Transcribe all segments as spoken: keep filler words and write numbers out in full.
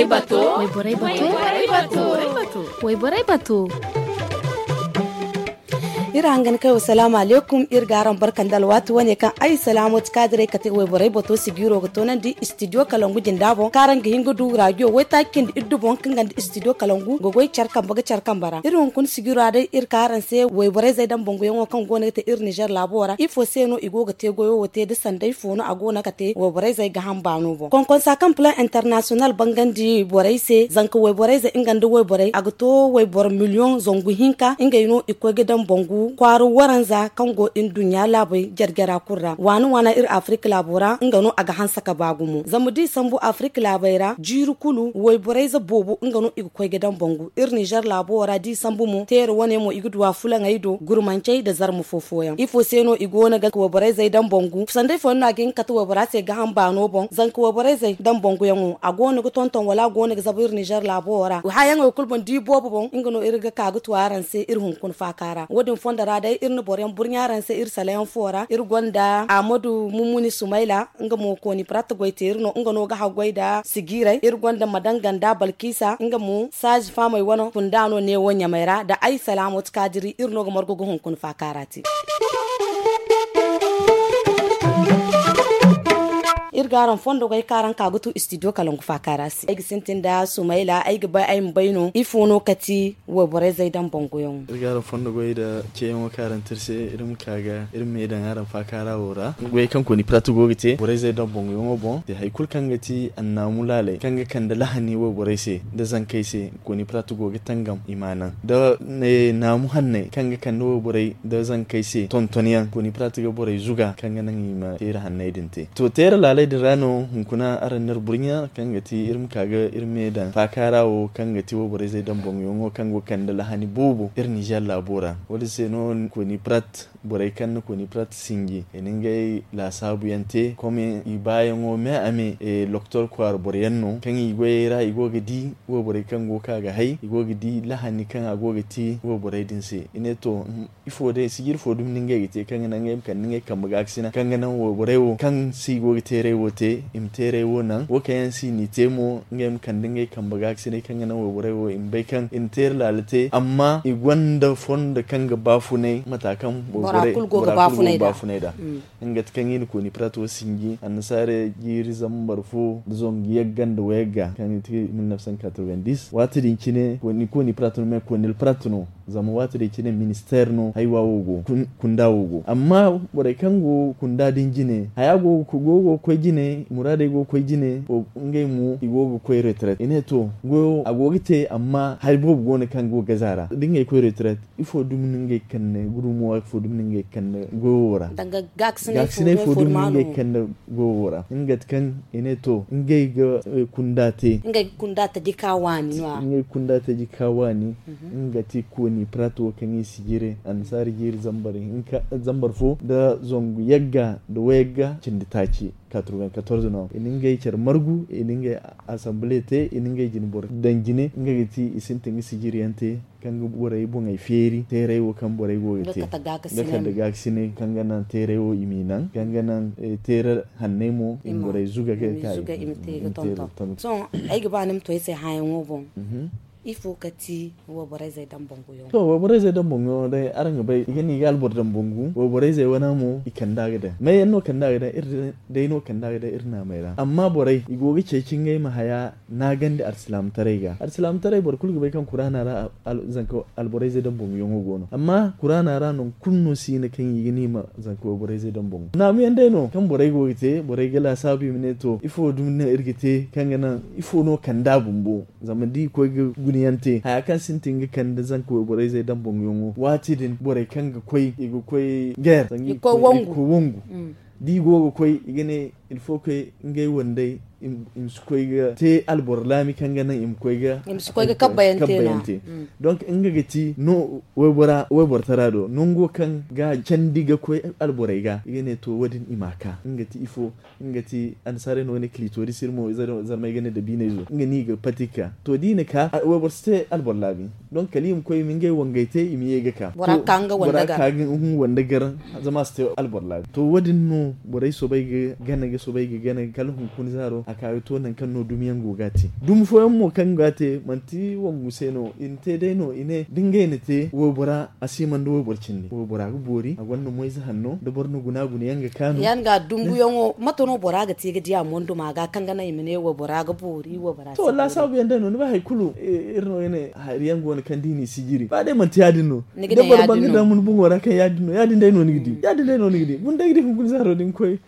Wayborey bato. Wayborey bato. Iri hangan kay wa salaamu aleykum. Iri ga araŋ barka nda alwaati wane kaŋ ay salaamooti kaadiray kate wayborey bato sigiiro ga toonandi istidiyo kalangu jinda boŋ kaŋ araŋ ga hin ga du raajiyo waytaaci cindi iddu boŋ kaŋ ganda istidiyo kalangu ga goy care kambe ga care kambe ra. Iri hunkuna sigiiro ra day iri ka araŋ se wayborey zey daŋ banguyaŋo kaŋ go no ga te iri nizer laabo ra ifo se no i go ga te goyo wo te da sanday fo no a go no ga te wayborey zey ga hamba no boŋ konkonsa kaŋ plan internasiyonal bangandi borey se zanka wayborey zey nga nda wayborey a ga to wayboro miliyoŋ zangu hinka ngey no i koy ga daŋ bangu kwaara waranza kaŋ go nduɲɲa laabey jare-jara kulu ra waani waana iri afirika laabo ra nga no a ga hanse ka ba gumo zama da i sambu afirika laabey ra jiiri kulu wayborey ze boobo nga no i ga koy ga daŋ bangu iri nizer laabo ra da i sambu mo teere wane mo i ga du a fulaŋey do gurmancey nda zarma fo fooyaŋ ifo se no i go no ga wayborey zey daŋ bangu sanday fooyaŋ no a ga hin ga kate waybora se gaham baano boŋ zanka wayborey zey daŋ banguyaŋo a go no ga tonton wala a go no ga zabu iri nizer laabo ra hayaŋey kulu boŋ da i boobo boŋ nga no iri ga ka ga tu araŋ se iri hunkuna faaka ra wo- din fondo ra day iri na boro yaŋ burɲa araŋ se iri sala yaŋ fo ra iri gonda ahmadu mummuni sumayla nga mo kooni prat goy teeri no nga no ga haggoy nda sigiiray iri gonda madanganda balkisa nga mo saazi faamey wane kunda no neewo ɲamey ra nda ay salaamot kaadiri iri no ga margu ga hunkuna faakaara te. Iri ga araŋ fondo goy kaŋ araŋ ka ga tu istidiyo kalangu faakaara se ay ga sintin nda sumayla ay ga bay ay ma bay no ifo no kati wayborey zey daŋ banguyaŋo. Iri ga araŋ fondo goy nda ceeyaŋo kaŋ araŋ te iri se iri ma ka ga iri ma me daŋ araŋ faakaara wo ra goy kaŋ kooni prat go ga te borey zey daŋ banguyaŋo boŋ te hari kulu kaŋ ga ti annaamu laaley kaŋ ga kande lahani wayborey se nda zankey se kooni prat go ga tangam i ma naŋ nda naamu hanney kaŋ ga kande wayborey nda zankey se tontonyaŋ kooni prat ga borey zuga kaŋ ga naŋ i ma teeri hanney din te to teeri laaley din ra no hunkuna araŋ na iri burɲa kaŋ ga ti iri ma ka ga iri me daŋ faakaara wo kaŋ ga ti wayborey zey daŋ banguyaŋo kaŋ go ga kande lahani boobo iri nizer laabo ra wo- din se no kooni prat borey kaŋ na kooni prat sinji i na ngey laasaabu yaŋ te kome i baayaŋo me a me loktor kwaara boro yaŋ no kaŋ i goyey ra i go ga di wayborey kaŋ go ga ka ga hay i go ga di lahani kaŋ a go ga te wayborey din se i ne to ifo day sijiri fo dumi no ngey ga te kaŋ ga naŋ ngey ma kande ngey kambe gaakasina kaŋ ga naŋ wayborey wo kaŋ se i go ga teeray wo te i ma teeray wo naŋ wo kaŋ yaŋ se i n'i te mo ngey ma kande ngey kambe gaakasinay kaŋ ga naŋ wayborey wo i ma bay kaŋ i na teeri laala te amma i gonda fondo kaŋ ga baafunay mata kaŋ bora kulu go ga baafunay nd'a nga ti kaŋ i na kooni pirato sinji annasaara jiiri zambar fo nda zangu yagga nda wayagga kaŋ i ti mil neuf cent quatre-vingt-dix waati din cine kooni pirato no me kooni pirato no zama waati din cine ministeer no haywa wo go kunda wo go amma borey kaŋ go kunda din jine haya go go ga koy jine muraadey go ga koy jine ngey mo i go ga koy retret i ne to goyo a go ga te amma hari boobo go no kaŋ go ga gaza ra da ngey koy retret ifo dumi no ngey ga kande gudumo ifo dumi no ngey ga kande goyo wo ra gaakasinay fo dumi no ngey ga kande goyo wo ra nga ti kaŋ i ne to ngey ga kunda te ngey ga kunda taji ka waani no a ngey ga kunda taji ka waani nga ti kooni pirato wo kaŋ i si jire annasaara jiiri zambar fo nda zangu yagga nda wayagga cindi taaci quatre-vingt-quatorze no i na ngey care margu i na ngey assemble te i na ngey jine boro daŋ jine nga ga ti i sintin ga sijiri yaŋ te kaŋ ga borey boŋey feeri teeray wo kaŋ borey go ga te nga kande gaakasinay kaŋ ga naŋ teeray wo i m'i naŋ kaŋ ga naŋ teeray hanney mo i ma borey zuga ga ka i ma te ga tonton sohõ ay ga ba ni ma to ay se hãyaŋo boŋ ifo ka ti wayborey zey daŋ banguyaŋo to wayborey zey daŋ banguyaŋo day araŋ ga bay i ga ne i ga alboro daŋ bangu wayborey zey wana mo i kanda ga daŋ may yaŋ no kanda ga daŋ iri day no kanda ga daŋ iri naamey ra amma borey i go ga ceeci ngey ma haya naagandi alsilaamataray ga alsilaamataray boro kulu ga bay kaŋ kuraana ra zanka alborayzey daŋ boŋ yaŋo go no amma kuraana ra nangu kulu no si hina kaŋ i ga ne i ma zanka wayborayzey daŋ boŋ naamu yaŋ day no kaŋ borey go ga te borey ga laasaabu i ma ne to ifo dumi no iri ga te kaŋ ga naŋ ifo no kand'a bumbo zama da i koy ga guna yaŋ te haya kaŋ sintin ga kande zanka wayborayzey daŋ boŋ yaŋo waati din borey kaŋ ga koy i ga koy geer sanga i ga koy wangu da i go ga koy i ga ne il faut que ngey wandey i ma si koy ga te alboro laami kaŋ ga naŋ i ma koy ga kabbayante donc nga ga ti no wayboro tara do nango kaŋ ga candi ga koy alborey ga i ga ne to wo- din i ma ka nga ti ifo nga ti annasaarey no ga ne clitoris iri mo zarmey ga ne dabiinayzo nga no i ga pati ga ka to da i na ka wayboro si te alboro laami donc kala i ma koy i ma ngey wangey te i ma ye ga ka bora ga ka nga wanda gar zama a si te alboro laami to wo- din no borey soobay ga gana ga Soobay ga gana kala hunkuna zaaro a ka ga to nangu kaŋ no dumi yaŋ go ga a te. Dumi fooyaŋ mo kaŋ go ga a te manti wangu se no i na te day no i ne da ngey na te waybora a si man da wayboro cindi waybora ga boori a gonda moyze hanno da boro na guna guna yaŋ ga kaanu. Yaŋ ga dumbuyaŋo mate no bora ga te ga di a mondo ma ga kaŋ ga naŋ i ma ne waybora ga boori waybora si boori. To laasaabu yaŋ day no ni bay hari kulu iri no ga ne hari yaŋ go no kaŋ da i n'i si jiri ba day manti ya- din no. Da boro ban ga daŋ mun boŋo ra kaŋ ya- din no ya- din day no ni ga di ya- din day no ni ga di guna day ga di hunkuna zaaro da ni koy.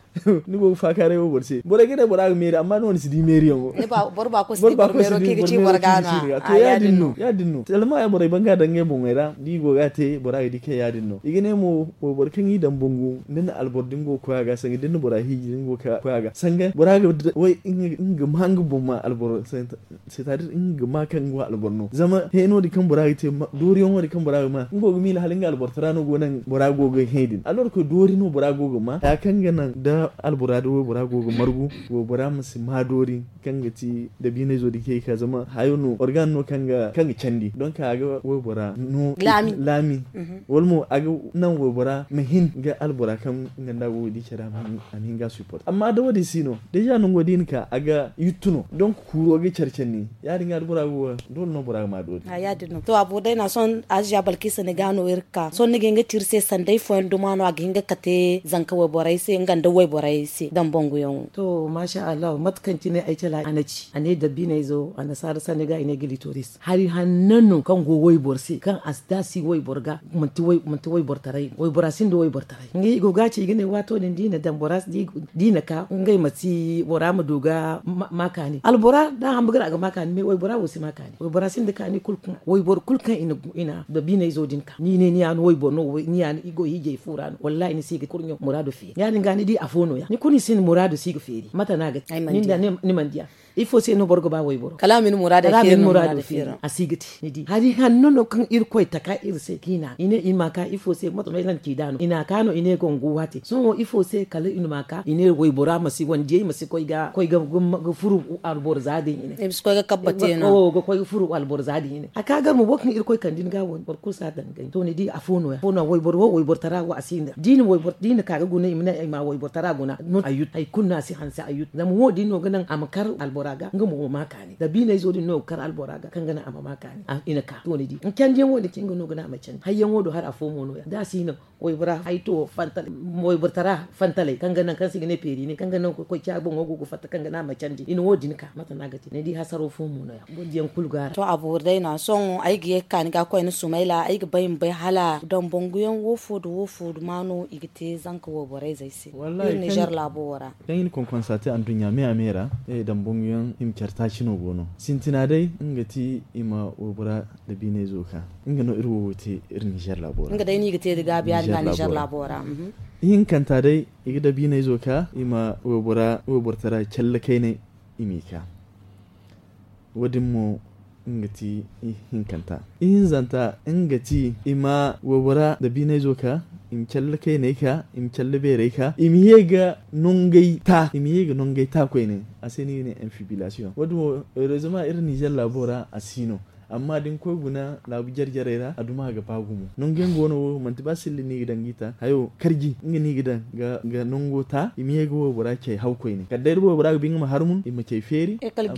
Ni go ga faakaaray wo boro se borey ga ne bora ga meeri amma no ni si di meeriyaŋo. Boro ba koy si di boro ga no a. To ya- din no ya- din no salma ya borey ban ga daŋ ngey boŋey ra da i go ga a te bora ga di kaŋ ya- din no i ga ne mo wayboro kaŋ i daŋ bangu da ni na alboro da ni go ga koy a ga sanga da ni na bora hiiji da ni go ga koy a ga sanga bora ga way nga ma nga boŋ ma alboro. C'est à dire nga ga ma kaŋ nga wo alboro no zama heeno din kaŋ bora ga te dooriyaŋo din kaŋ bora ga ma nga go ga miila hala nga alborotara no go naŋ bora go ga hẽ din alors que doori no bora go ga ma haya kaŋ ga naŋ da albora da waybora go ga margu waybora ma si ma doori kaŋ ga ti dabiinayzo din kaŋ i ga ka zama hayo no organ no kaŋ ga candi donc a ga waybora no laami. Wala mo a ga naŋ waybora ma hin ga albora kaŋ nga nda go ga di care a ma hin ga support amma da wo- din si no déjà nango da i na ka a ga yuttu no donc kuuro ga care care ni ya- din ga da bora go ga doole no bora ga ma doori. To a boro day no a sohõ aziya balkisa ni ga no iri ga ka sohõ ni ga hin ga ci iri se sanday fooyaŋ duma no a ga hin ga kate zanka wayborey se nga nda wayborey se daŋ banguyaŋo. To masha allahu mate kaŋ cine ay cala a na ci a ne dabbiinayzo annasaara sanni ga i ne ga litoris hari hanno no kaŋ go wayboro se kaŋ a si da a si wayboro ga manti wayboro taray waybora sinda wayboro taray nga i go ga a ci i ga ne waato din da i na daŋ bora da i na ka ngey ma si bora ma du ga ma kaani albora da a hamba ga ra a ga ma kaani mais waybora wo si ma kaani waybora sinda kaani kulu kaŋ wayboro kulu kaŋ i na dabiinayzo din ka ni ne ni ya no wayboro no ni ya no i go hiijay fu ra no wallahi ni si ga kurɲo muraado feeri ya- din ga ni di afo no- ya ni kulu ni si ni muraado si ga feeri mate no a ga te ni nda ni mana diya. Ifo se no boro ga ba wayboro kala a ma ni muraado feeri a si ga te ni di hari hanno no kaŋ irkoy taka iri se kaŋ i na i ne i ma ka ifo se mate no i na ka no i ne gongo waate sohõ ifo se kala i na ma ka i ne waybora ma si wandiyey ma si koy ga furu alboro za din i ne i ma si koy ga kabbate no ga koy ga furu alboro za din i ne a ka gar mo boro kaŋ irkoy kande ni ga wani boro kulu si a daŋ ga ni to ni di afo no- ya wayboro wo wayboro tara wo a si nda da i na ka ga guna i ma ne i ma wayboro tara guna no a yut hari kulu no a si hanse a yut zama wo- din no ga naŋ a ma kar albora ga nga mo ma ma kaani dabiinayzo din no ga kar albora ga kaŋ ga naŋ a ma ma kaani i na ka to ni di canjiyaŋo din cine nga no ga naŋ a ma canji hayyaŋo do hari afo mo no- ya da a si no waybora hayto fantalay wayboro tara fantalay kaŋ ga naŋ kaŋ se i ga ne peeri ne kaŋ ga naŋ koy ca boŋo go ga fatta kaŋ ga naŋ a ma canji i na wo- din ka mate no a ga te ni di hasaro fo mo no- ya boro diyaŋ kulu ga a ra to a boori day no- ya sohõ ay ga ye ga ka ni ga koy ni sumayla ay ga bay ma bay hala daŋ banguyaŋ wo- fo nda wo- fo nda ma no i ga te zanka wayborey zey se iri nizer laabo wo ra. Kaŋ i na konkonsa te anduɲɲa me a me ra daŋ banguyaŋ i ma care taaci no go no sintina day nga ti i ma waybora dabiinayzo ka nga no iri wo wo te iri nizer laabo ra nga day no i ga te da gaabi ya- din ga nizer laabo ra. Ihinkanta day i ga dabiinayzo ka i ma waybora wayboro tara calle kaynay i m'i ka wo- din mo nga ti ihinkanta ihinzanta nga ti i ma waybora dabiinayzo ka i ma calle kaynay ka i ma calle beerey ka i ma ye ga nongey ta i ma ye ga nongey ta koyne a se no i ga ne infibilasiyoŋ wo- din wo heureusement iri nizer laabo ra a si no amma da ni koy guna laabu jare jarey ra a duma ga ba gumo nangu yaŋ go no wo manti ba silla no i ga daŋ ga i ta hayo karji nga no i ga daŋ ga nango ta i ma ye ga waybora cay haw koyne kala day da waybora ga ba nga ma harmun i ma cay feeri kala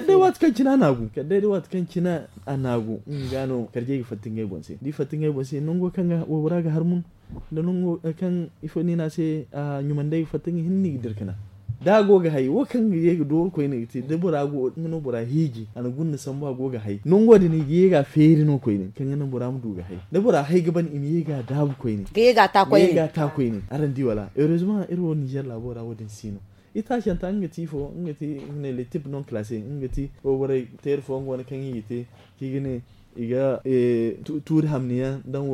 day waati kaŋ cine a naagu kala day da waati kaŋ cine a naagu nga ga no karjey ga fatta ngey boŋ se da i fatta ngey boŋ se nango kaŋ waybora ga harmun da nango kaŋ ifo no i ne a se ɲumandey ga fatta nga hinne no i ga dira ka naŋ da a go ga hay wo kaŋ ga ye ga dooru koyne ga te da bora go nga no bora hiiji a na guna sambu a go ga hay nango din i ga ye ga a feeri no koyne kaŋ ga naŋ bora ma du ga hay da bora hay ga ban i ma ye ga a daabu koyne ga ye ga a ta koyne araŋ di wala heureusement iri wo nizer laabo ra wo- din si no itaacanta nga ti ifo nga ti i ga ne le type non classe nga ti wo borey teeri fooyaŋ go no kaŋ i ga te kaŋ i ga ne i ga tuuri hamni yaŋ daŋ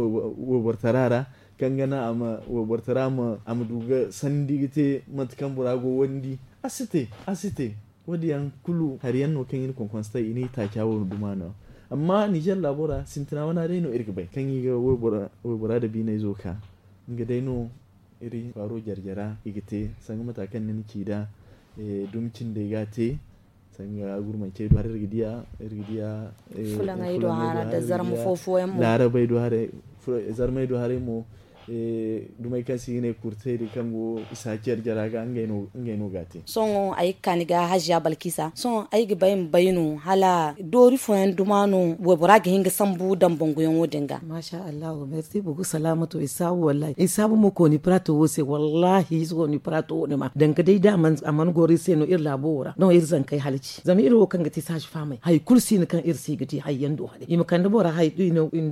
wayboro tara ra kaŋ ga naŋ a ma wayboro tara a ma du ga sandi ga te mate kaŋ bora go wandi a si te a si te wo- din yaŋ kulu hari yaŋ no kaŋ i na konkonse tay i na i taaca wo duma no amma nizer laabo ra sintina wana day no iri ga bay kaŋ i ga waybora dabiinayzo ka nga day no iri kwaaro jare jara i ga te sanga mata kaŋ ni na ci nd'a dumi cindey ga a te sanga gurmancey do haray iri ga diya iri ga diya fulaŋey do haray da zarma fooyaŋ mo laarabey do haray zarmey do haray mo Dumey kaŋ se i ga ne kurtey din kaŋ go i si a care jara ga ngey no ga a te. Sohõ ay ga ka ni ga haziya balkisa sohõ ay ga bay ma bay no hala doori fooyaŋ duma no waybora ga hin ga sambu dambanguyaŋo din ga. Masha allahu merci boku salaamato i saabu wallahi i saabu mo kooni pirato wo se wallahi i si kooni pirato wo ni ma danga day da a mana goro iri se no iri laabo wo ra no iri zankey halaci zama iri wo kaŋ ga ti saazi faamey hari kulu si no kaŋ iri se i ga di hari yaŋ do hare i ma kande bora hari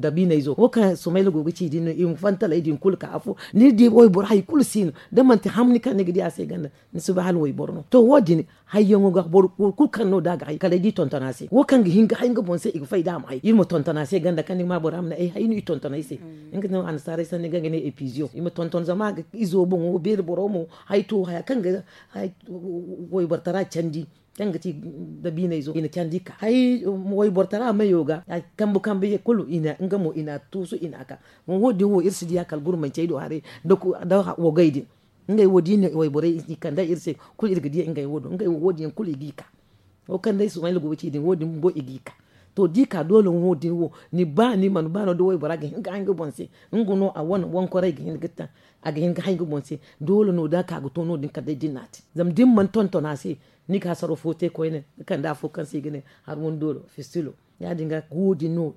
dabiiney zo wo kaŋ sumayla go ga ci din no i ma fantaley din kulu ka afo ni di wayboro hari kulu si no da manti hamni kaŋ ni ga di a se ganda ni si bay hala wayboro no to wo- din hayyaŋo ga boro kulu kaŋ no da a ga hay kala ay di tonton a se wo kaŋ ga hin ga hay nga boŋ se i ga fay da a ma hay iri ma tonton a se ganda kaŋ ni ga ma bora ma ne ay hay no i tonton ay se nga no annasaarey sanni ga ga ne epiziyo i ma tonton zama a ga izo boŋo beeri boro mo hay to haya kaŋ ga waybortara candi kaŋ ga ti dabiiney zo i na candi ka hay waybortara mayo ga kambe kambe ye kulu nga mo i na a tuusu i na a ka wo- din wo iri si di a kala gurmancey do haray da wogey din ngey wo- din wayborey i kandey iri se kulu iri ga diya ngey wo- din yaŋ kulu i g'i ka wo kaŋ day sumayla go ga ci din wo- din bumbo i g'i ka to da i ka doole wo- din wo ni ba ni mana ba no da waybora ga hin ga hay nga boŋ se nga no a wane wankoray ga hin ga taŋ a ga hin ga hay nga boŋ se doole no da a ka ga to no- din kala day da ni n'a te zama da ni mana tonton a se ni ga hasaro fo te koyne ga kande afo kaŋ se i ga ne harwun dooro fistilo ya- din ga wo- din no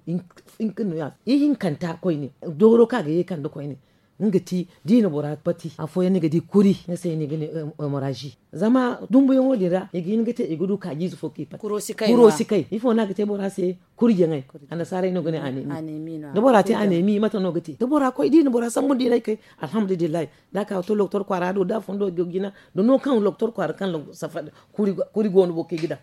ihinkanta koyne dooro kaŋ a ga ye kande koyne nga ti da i na bora pati afooyaŋ ni ga di kuri nga se no i ga ne hemorazi zama dumbuyaŋo din ra i ga hin ga te i ga du kaajiize fo kaŋ i pati kuro si kay ifo no a ga te bora se kurjaŋey annasaarey no ga ne anemi da bora te anemi mate no ga te da bora koy da i na bora sambu da i na ay kay alhamdulillahi da a ka ga to loktor kwaara do da a fundo ga jina da no kaŋ loktor kwaara kaŋ safari kuri go no bo kaŋ i ga daŋ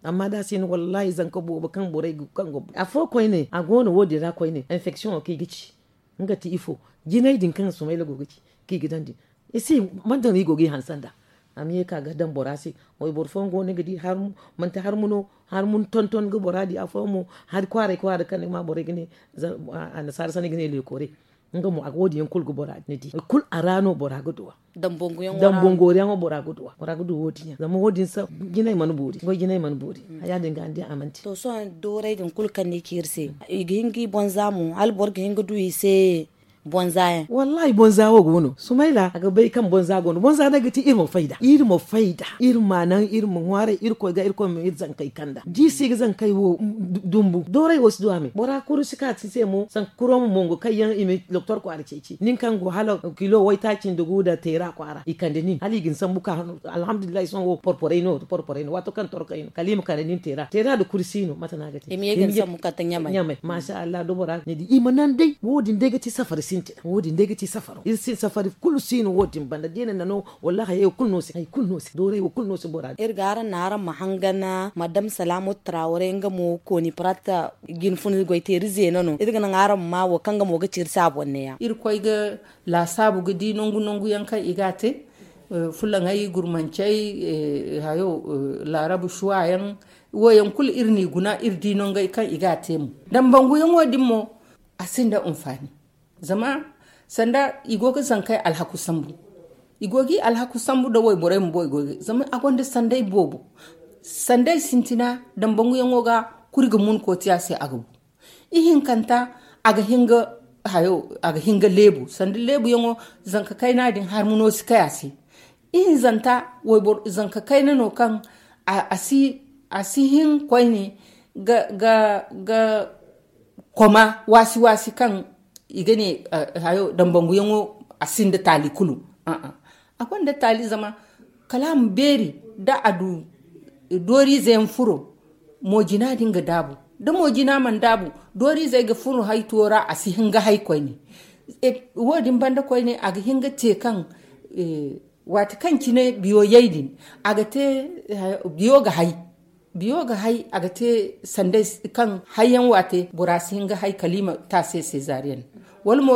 amma da a si no wallahi zanka boobo kaŋ borey ga kaŋ go afo koyne a go no wo- din ra koyne infection wo kaŋ i ga ci nga ti ifo jinay din kaŋ sumayla go ga ci kaŋ i ga daŋ din i si manti no i go ga i hanse nd'a a ma ye ka ga daŋ bora se wayboro fooyaŋ go no ni ga di manti harmu no harmu ni tonton ga bora di afooyaŋ mo hari kwaaray kwaaray kaŋ ni ga ma borey ga ne annasaara sanni ga ne leekore nga mo a ga wo- din yaŋ kulu ga bora ni di kulu a ra no bora ga duw'a dambangu yaŋo bora ga duw'a bora ga du wo- din yaŋ zama wo- din jinay mana boori goy jinay mana boori ya- din ga ni di a mana te to sohõ dooray din kulu kaŋ ni ci iri se i ga hin ga i bonza mo hala boro ga hin ga du i se bonza yaŋ wallahi bonza wo go no sumayla a ga bay kaŋ bonza go no bonza day ga ti iri ma fayda iri ma fayda iri ma naŋ iri ma ŋwaaray irkoy ga irkoy ma iri zankey kanda da i si ga zankey wo dumbu dooray wo si du a me bora kuru si ka ti se mo sanka kuro ma mongo kaŋ yaŋ i ma doktor kwaara ceeci nin kaŋ go hala kilo waytaaci nda gu nda teera kwaara i kande nin hala i ga ni sambu ka alhamdulillahi sohõ wo porporey no porporey no waato kaŋ torkey no kala i ma kande nin teera teera nda kuri si no mate no a ga te i ma ye ga ni sambu kala ɲamay masha allah da bora ga ni di i ma naŋ day wo- din day ga ti safari sintina wo- din day ga ti safaro iri si safari kulu si no wo- din banda da i na naŋ no wallahi hayey wo kulu no si hayey kulu no si dooray wo kulu no si bora iri ga araŋ naŋ araŋ ma hangan madam salaamatu traaware nga mo kooni paratta jinfuna goyteeri zeena no iri ga naŋ araŋ ma ma wo kaŋ nga mo ga ci iri se a boŋ neeya irkoy ga laasaabu ga di nangu nangu yaŋ kaŋ i ga a te fulaŋey gurmancey hayo laarabu suwa yaŋ wo yaŋ kulu iri n'i guna iri di nangey kaŋ i ga a te mo dambangu yaŋo din mo a sinda anfaani zama sanda i go ga zankey alhaku sambu i go ga i alhaku sambu nda wayborey bumbo i go ga zama a gonda sanday boobo sanday sintina dambangu yaŋo ga kuri ga mun kootiya se a ga bu ihinkanta a ga hin ga hayo a ga hin ga leebu sanda leebu yaŋo zanka kayna din harmuno si kay a se ihinzanta wayboro zanka kayna no kaŋ a si a si hin koyne ga ga ga koma waasi waasi kaŋ i ga ne hayo dambangu yaŋo a sinda taali kulu a gonda taali zama kala a ma beeri da a du dooriize yaŋ furo moojina din ga daabu da moojina mana daabu dooriizey ga furo hay tuwo ra a si hin ga hay koyne wo- din banda koyne a ga hin ga te kaŋ waati kaŋ cine biyo yay din a ga te biyo ga hay biyo ga hay a ga te sanday kaŋ hayyaŋ waate bora si hin ga hay kala i ma te a se sezariyen wala mo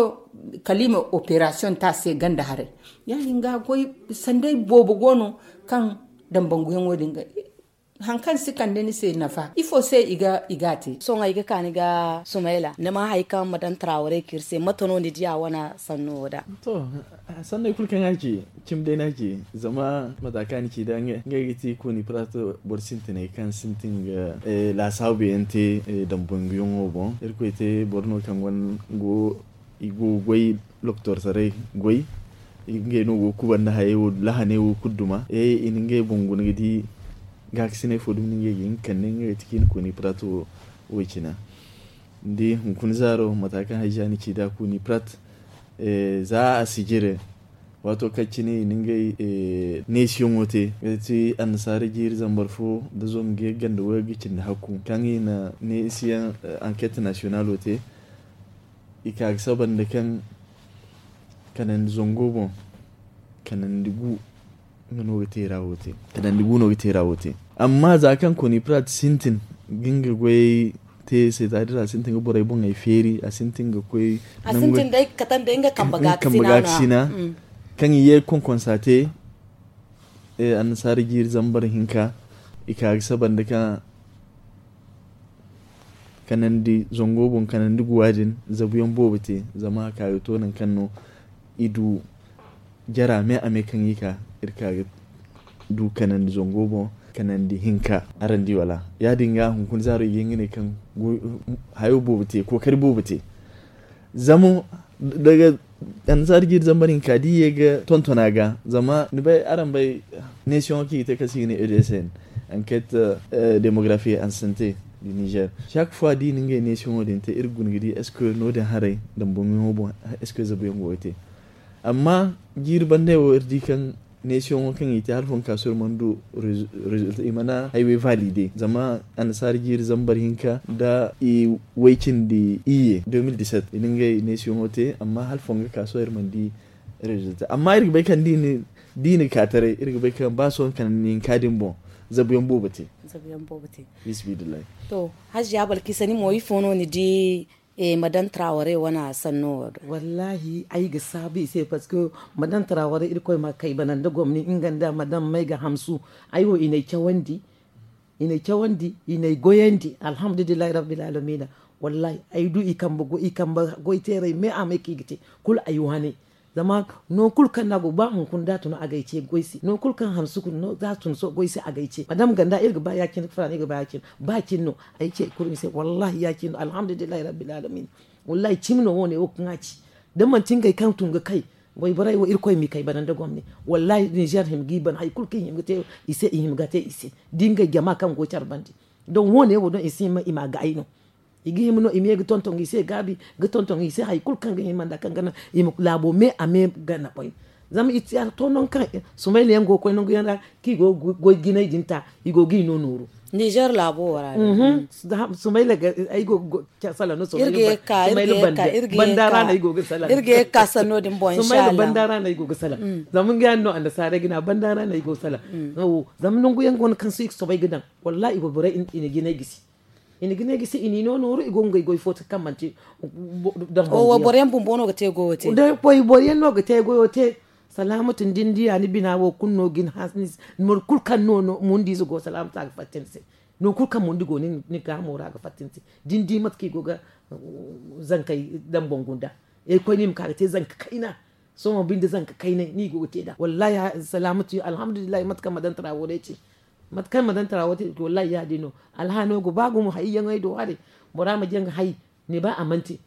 kala i ma operasiyoŋ te a se ganda haray ya- din ga goy sanday boobo go no kaŋ dambanguyaŋo din ga haŋ kaŋ si kande ni se nafa ifo se i ga i ga a te sohõ ay ga ka ni ga sumayla ni ma hay kaŋ ma daŋ tarawaray kaŋ iri se mate no ni diya wane sanno wo da to sanney kulu kaŋ a ci cimi day no a ci zama mata kaŋ a ni ci da ngey ga ti kooni pirato boro sintiney kaŋ sintin ga laasaabu yaŋ te dambanguyaŋo boŋ irkoy te boro no kaŋ go I go ga goy, loktortaray goy. Ngey no go ga kuba nda hayey wo lahaney wo kulu duma. I na ngey boŋ guna ga di gaakasiney fo dumi no ngey ga hin ga kande ngey ga ti kaŋ i na koni prat wo. Woy cina ni di hunkuna zaaro mata kaŋ hayza ni ci da koni prat. Za a si jire waato kaŋ cine i na ngey neesiyaŋo te ga ti annasaara jiiri zambar fo nda zangu ganda wayga cindi hakku kaŋ i na neesiyaŋ anket nasiyonalo te. I ka ga saba nda kaŋ kanandi zango boŋ kanandi gu no ga te ra wo te. Kanandi gu no ga te ra wo te. Amma za kaŋ koni prat sintin ga nga goyey te se za din a sintin ga borey boŋey feeri a sintin ga koy a sintin day ga katan day nga kambe gaakasina kaŋ i ye ga konkonsa te. Annasaara jiiri zambar hinka i ka ga saba nda kaŋ kanandi zango boŋ kanandi guwa din zabuyaŋ boobo te. Zama a ka ga to nangu kaŋ no i du jara me a me kaŋ i ka iri ka ga du kanandi zango boŋ kanandi hinka. Araŋ di wala ya-din ga hunkuna zaaro i ga hin ga ne kaŋ hayo boobo te kookari boobo te. Zama daga annasaara jiiri zambar hinka da i ye ga tonton a ga zama ni bay araŋ bay neesiyaŋo kaŋ i ga te kaŋ se i ga ne e d s n, enquête démographique en santé du niger. Chaque fois da i na ngey neesiyaŋo din te iri ga guna ga di est ce que no- din haray damboŋ yaŋo boŋ? Est ce que zabuyaŋ go ga te? Amma jiiri bandey wo iri di kaŋ neesiyaŋo kaŋ i te hala fo ga ka sohõ iri mana du résultat i mana haywey valide zama annasaara jiiri zambar hinka nda i way cindi iyye deux mille dix-sept i na ngey neesiyaŋo te amma hala fo ga ka sohõ iri mana di résultat amma iri ga bay kaŋ da i na ka taray iri ga bay kaŋ ba sohõ kala ni hinka din boŋ zabuyaŋ boobo te. Bismillahi. To, hajja balkisa ni mo ifo no ni di? Madan traware wane sanno wo do. Wallahi ay ga saabu i se parce que madan traware irkoy ma kay bana nda gomni nga nda madan may ga hamsu. Ay wo i n'ay cawandi i n'ay cawandi i n'ay goyandi alhamdulillahi rabbil alamina. Wallahi ay du i kambe goy teeray me a may kaŋ i ga te kulu ay wane. Zama no kulu kaŋ no a go ba hunkuna da a tun a g'ay ce goy se no kulu kaŋ hansu kulu no da a tun goy se a g'ay ce madama ganda iri ga ba ya- cine ga fara no iri ga ba ya- cine ba cine no. Ay ce kulu ni se wallahi ya- cine no alhamdulillahi rabbil alamin. Wallahi cimi no wo- ne wo kaŋ a ci da manti ngey kaŋ tun ga kay. Wayborey wo irkoy m'i kay bana nda gomni. Wallahi ninzeer hima g'i bana hari kulu kaŋ i hima ga te i se i hima ga te i se da ngey jama kaŋ go care bande. Don wo- ne wo don i si hima i m'a ga ay no. I ga hima no i ma ye ga tonton i se gaabi ga tonton i se hari kulu kaŋ ga hima nda kaŋ ga naŋ i ma laabo me a me gana boy. Zama i ti a to nangu kaŋ sumayla yaŋ go ga koy nangu yaŋ ra kaŋ i go ga goy jinay din ta i go ga i no nooru. Ninzeer laabo wo ra day. Sumayla ay go ga salaŋ no sumayla banda ra no ay go ga salaŋ. Sumayla banda ra no ay go ga salaŋ. Zama nga yaŋ no annasaarey ga ne a banda ra no ay go ga salaŋ. Zama nangu yaŋ go no kaŋ se i ga soobay ga daŋ. Wallahi i go borey i na jinay gisi. I na jinay gisi i n'i no nooru i go ga ngey goy fo te kaŋ manti. Boro yaŋ bumbo no ga te goyo te. Boro yaŋ no ga te goyo te. Salaamatu ni di ni diya ni bina wo kulu no ga ni hanse ni se. Moro kulu kaŋ no mundiize go salaamatu a ga fatta ni se. No kulu kaŋ mundi go ni gaamo ra a ga fatta ni se. Da ni di mate kaŋ i go ga zankey daŋ bangu nda. Irkoy no i ma ka ga te zanka kayna. Sohõ binde zanka kaynay no i go ga te nd'a wallahi. Salaamatu alhamdulillahi mate kaŋ ma daŋ tara wo day ce. Mate kaŋ ma daŋ tara wo te wallahi ya- din no. Alhaano go ba gumo hayyaŋey do haray. Bora ma jaŋ hay ni ba a mana te.